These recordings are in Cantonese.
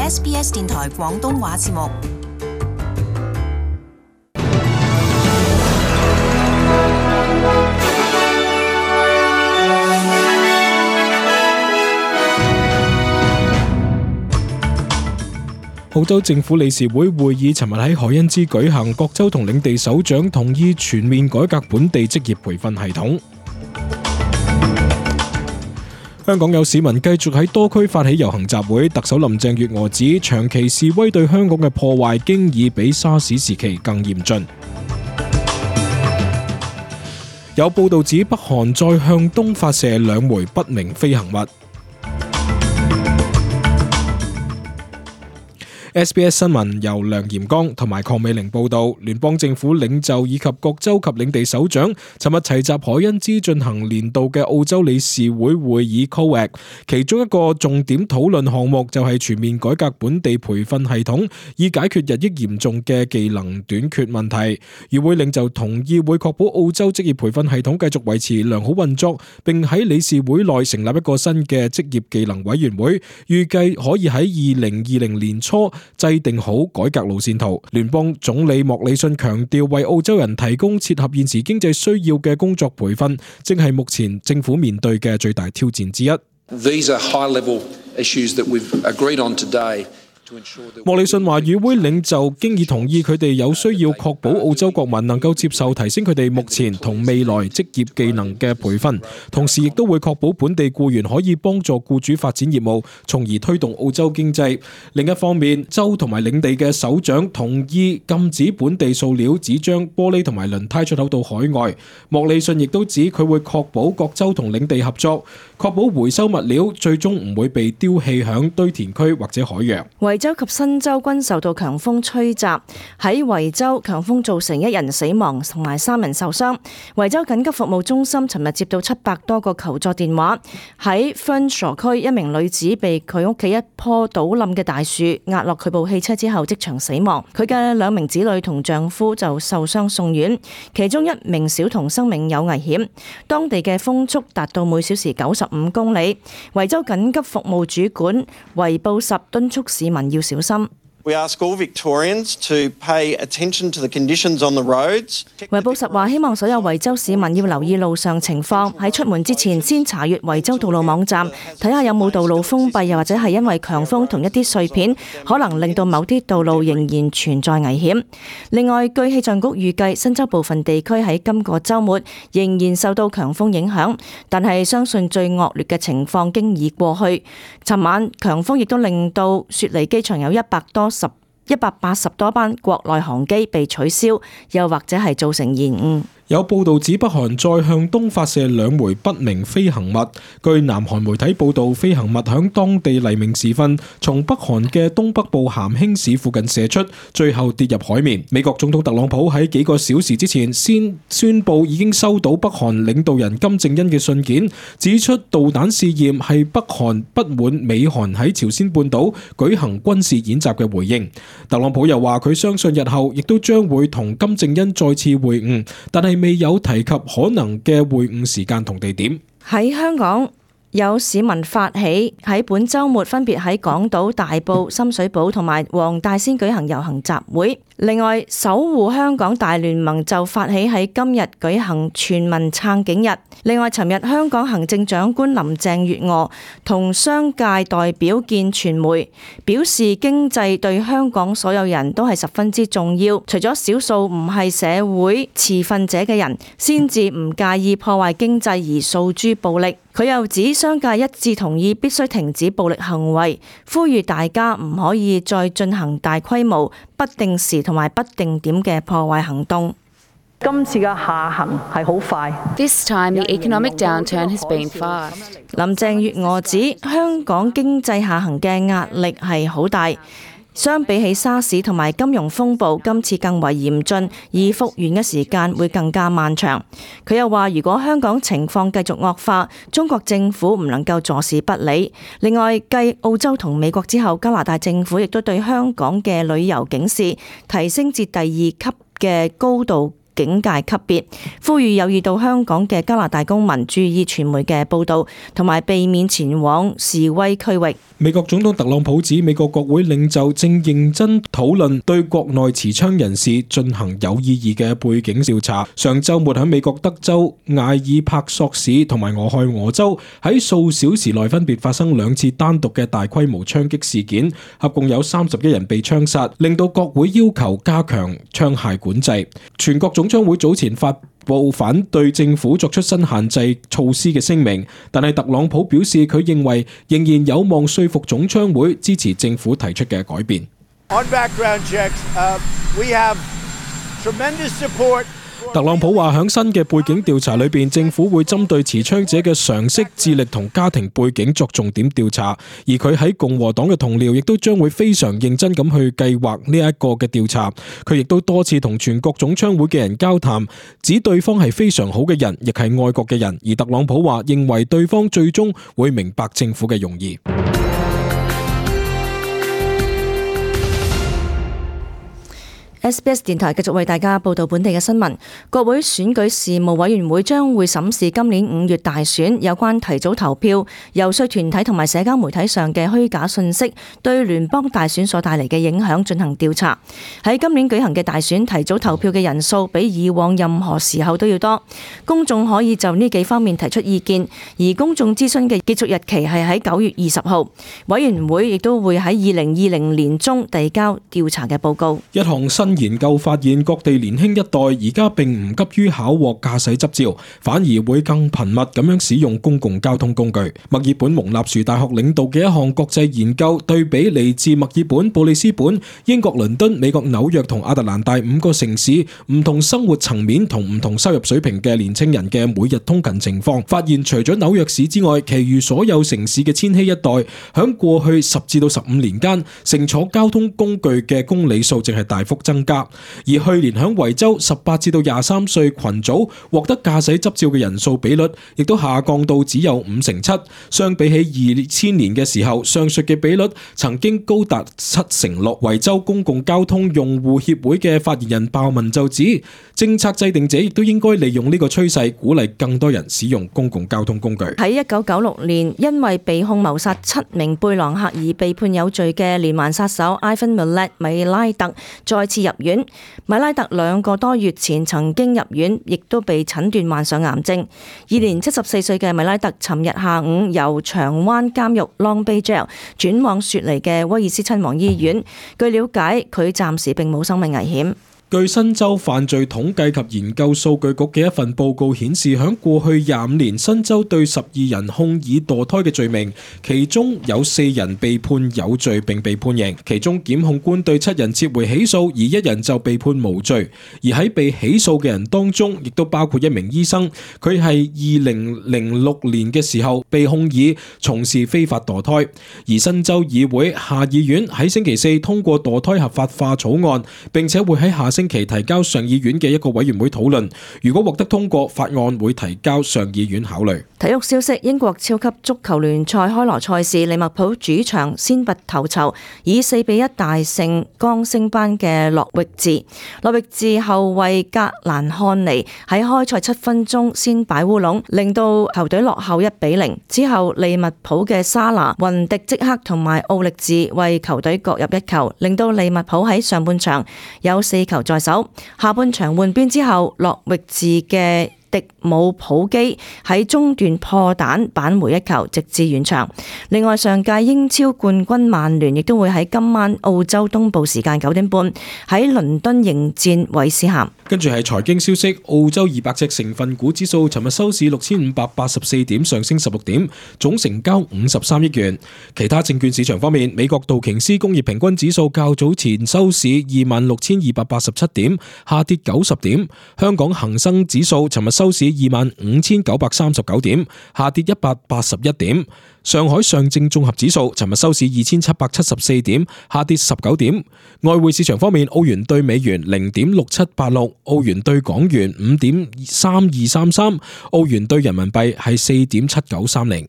SBS 電台廣東話節目。澳洲政府理事會會議尋日喺海恩茲舉行，各州同領地首長同意全面改革本地職業培訓系統。香港有市民繼續喺多區發起遊行集會，特首林鄭月娥指長期示威對香港嘅破壞經已比沙士時期更嚴峻。有報道指北韓再向東發射2枚不明飛行物。SBS 新聞由梁炎剛同埋鄺美玲報道，聯邦政府領袖以及各州及領地首長尋日齊集海恩茲進行年度嘅澳洲理事會會議 COAG， 其中一個重點討論項目就係全面改革本地培訓系統，以解決日益嚴重嘅技能短缺問題。與會領袖同意會確保澳洲職業培訓系統繼續維持良好運作，並喺理事會內成立一個新嘅職業技能委員會，預計可以喺2020年初制定好改革路線圖。聯邦總理莫里遜強調，為澳洲人提供切合現時經濟需要嘅工作培訓，正係目前政府面對嘅最大挑戰之一。These are high-level issues that we've agreed on today. 莫里遜話，與會領袖經已同意佢哋有需要確保澳洲國民能夠接受提升佢哋目前同未來職業技能嘅培訓，同時亦都會確保本地僱員可以幫助僱主發展業務，從而推動澳洲經濟。另一方面，州同埋領地嘅首長同意禁止本地塑料、紙張、玻璃同埋輪胎出口到海外。莫里遜亦都指佢會確保各州同領地合作，確保回收物料最終唔會被丟棄響堆填區或者海洋。維州及新州均受到強風吹襲，喺維州強風造成1人死亡同埋3人受傷。維州緊急服務中心尋日接到700多個求助電話。喺 Fernshaw 區，一名女子被佢屋企一棵倒冧嘅大樹壓落佢部汽車之後即場死亡，佢嘅2名子女同丈夫就受傷送院，其中1名小童生命有危險。當地嘅風速達到每小時95公里。維州緊急服務主管維布什敦促市民要小心。We ask all Victorians to pay attention to the conditions on the roads. 維布什話希望所有維州市民要留意路上情況，喺出門之前先查閱維州道路網站，睇下有冇道路封閉，又或者係因為強風同一啲碎片可能令到某啲道路仍然存在危險。另外，據氣象局預計，新州部分地區喺今個週末仍然受到強風影響，但係相信最惡劣嘅情況經已過去。尋晚強風亦都令到雪梨機場有180多班國內航機被取消，又或者係造成延誤。有報道指北韓再向東發射2枚不明飛行物。據南韓媒體報道，飛行物響當地黎明時分從北韓嘅東北部咸興市附近射出，最後跌入海面。美國總統特朗普喺幾個小時之前先宣布已經收到北韓領導人金正恩嘅信件，指出導彈試驗係北韓不滿美韓喺朝鮮半島舉行軍事演習嘅回應。特朗普又話佢相信日後亦都將會同金正恩再次會晤，但係未有提及可能嘅會晤時間同地點。喺香港，有市民發起喺本週末分別喺港島、大埔、深水埗同埋黃大仙舉行遊行集會。另外，守護香港大聯盟就發起喺今日舉行全民撐警日。另外，尋日香港行政長官林鄭月娥同商界代表見傳媒，表示經濟對香港所有人都係十分之重要，除咗少數唔係社會持份者嘅人，先至唔介意破壞經濟而訴諸暴力。佢又指商界一致同意必須停止暴力行為，呼籲大家唔可以再進行大規模、不定時同埋不定點嘅破壞行動。今次嘅下行係好快。This time the economic downturn has been fast. 林鄭月娥指香港經濟下行嘅壓力係好大。相比起沙士同埋金融風暴，今次更為嚴峻，而復原嘅時間會更加漫長。佢又話，如果香港情況繼續惡化，中國政府唔能夠坐視不理。另外，繼澳洲同美國之後，加拿大政府亦都對香港嘅旅遊警示提升至第2級嘅高度警戒級別，呼籲有意到香港嘅加拿大公民注意傳媒嘅報導，同埋避免前往示威區域。美國總統特朗普指美國國會領袖正認真討論對國內持槍人士進行有意義嘅背景調查。上週末喺美國德州、艾爾帕索市同埋俄亥俄州喺數小時內分別發生2次單獨嘅大規模槍擊事件，合共有31人被槍殺，令到國會要求加強槍械管制。全國總槍會早前發布反對政府作出新限制措施嘅聲明，但係特朗普表示佢認為仍然有望說服總槍會支持政府提出嘅改變。On background checks, we have tremendous support. 特朗普話喺新嘅背景調查裏邊，政府會針對持槍者嘅常識、智力同家庭背景作重點調查，而佢喺共和黨嘅同僚亦都將會非常認真咁去計劃呢一個嘅調查。佢亦都多次同全國總槍會嘅人交談，指對方係非常好嘅人，亦係愛國嘅人。而特朗普話認為對方最終會明白政府嘅用意。SBS 電台繼續為大家報道本地嘅新聞。國會選舉事務委員會將會審視今年5月大選有關提早投票、遊說團體同埋社交媒體上嘅虛假信息對聯邦大選所帶嚟嘅影響進行調查。喺今年舉行嘅大選，提早投票嘅人數比以往任何時候都要多。公眾可以就呢幾方面提出意見，而公眾諮詢嘅結束日期係喺9月20號。委員會亦都會喺2020年中遞交調查嘅報告。一項新研究發現，各地年輕一代而家並唔急於考獲駕駛執照，反而會更頻密咁樣使用公共交通工具。墨爾本蒙納殊大學領導嘅一項國際研究，對比嚟自墨爾本、布里斯本、英國倫敦、美國紐約同亞特蘭大5個城市唔同生活層面同唔同收入水平嘅年輕人嘅每日通勤情況，發現除咗紐約市之外，其餘所有城市嘅千禧一代響過去10至到15年間乘坐交通工具嘅公里數淨係大幅增加。而去年響維州18至到23歲群組獲得駕駛執照嘅人數比率，亦都下降到只有57%。相比起2000年嘅時候，上述嘅比率曾經高達76%。維州公共交通用戶協會嘅發言人鮑文就指，政策制定者亦都應該利用呢個趨勢，鼓勵更多人使用公共交通工具。喺1996年，因為被控謀殺7名貝朗克而被判有罪嘅連環殺手 Ivan Milat 米拉特再次入院。米拉特2個多月前曾經入院，亦都被診斷患上癌症。現年74歲嘅米拉特，尋日下午由長灣監獄 Long Bay Jail 轉往雪梨嘅威爾斯親王醫院。據了解，佢暫時並冇生命危險。據新州犯罪統計及研究數據局嘅一份報告顯示，響過去25年，新州對12人控以墮胎嘅罪名，其中有4人被判有罪並被判刑，其中檢控官對7人撤回起訴，而1人就被判無罪。而喺被起訴嘅人當中，亦都包括一名醫生，佢係2006年嘅時候被控以從事非法墮胎。而新州議會下議院喺星期4通過墮胎合法化草案，並且會喺下星期提交上議院嘅一個委員會討論，如果獲得通過，法案會提交上議院考慮。體育消息：英國超級足球聯賽開鑼賽事，利物浦主場先拔頭籌，以4-1大勝剛升班嘅諾域治。諾域治後衛格蘭漢尼喺開賽7分鐘先擺烏龍，令到球隊落後1-0。之後利物浦嘅沙拿、雲迪即克同埋奧力治為球隊各入1球，令到利物浦喺上半場有4球在手。下半場換邊之後，諾域治嘅迪姆普基喺中段破蛋扳回1球，直至完場。另外，上屆英超冠軍曼聯亦都會喺今晚澳洲東部時間9點半喺倫敦迎戰韋斯咸。跟住係財經消息，澳洲200隻成分股指數尋日收市6584點，上升16點，總成交53億元。其他證券市場方面，美國道瓊斯工業平均指數較早前收市26287點，下跌90點。香港恒生指數尋日收市25939點，下跌181點。上海上證綜合指數尋日收市2774點，下跌19點。外匯市場方面，澳元兌美元0.6786，澳元兌港元5.3233，澳元兌人民幣係4.7930。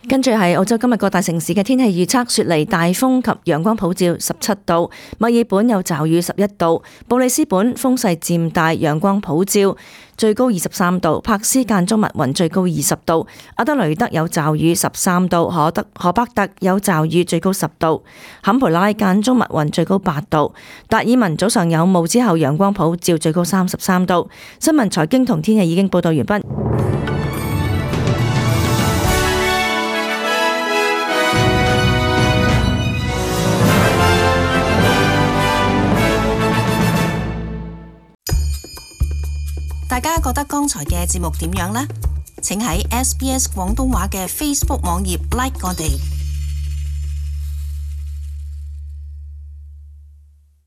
跟住係澳洲今日各大城市嘅天氣預測：雪梨大風及陽光普照17度，墨爾本有驟雨11度，布里斯本風勢漸大，陽光普照，最高23度，柏斯間中密雲，最高20度，阿德雷德有驟雨13度，荷伯特有驟雨，最高10度，坎培拉間中密雲，最高8度，達爾文早上有霧之後陽光普照，最高33度。新聞財經同天氣已經報道完畢。大家覺得剛才嘅節目點樣呢？請喺SBS 廣東話嘅 Facebook 網頁 like 我哋。